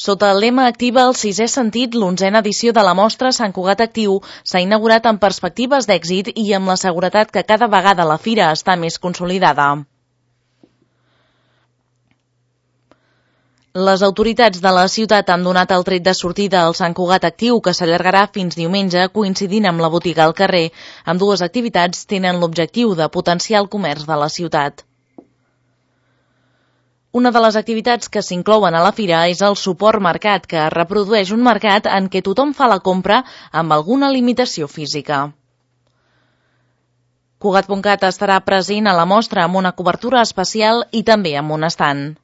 Sota el lema Activa el sisè sentit, l'11a edició de la mostra Sant Cugat Actiu s'ha inaugurat amb perspectives d'èxit i amb la seguretat que cada vegada la fira està més consolidada. Les autoritats de la ciutat han donat el tret de sortida al Sant Cugat Actiu, que s'allargarà fins diumenge, coincidint amb la botiga al carrer. Ambdues activitats tenen l'objectiu de potenciar el comerç de la ciutat. Una de les activitats que s'inclouen a la fira és el suport mercat, que reprodueix un mercat en què tothom fa la compra amb alguna limitació física. Cugat.cat estarà present a la mostra amb una cobertura especial i també amb un estand.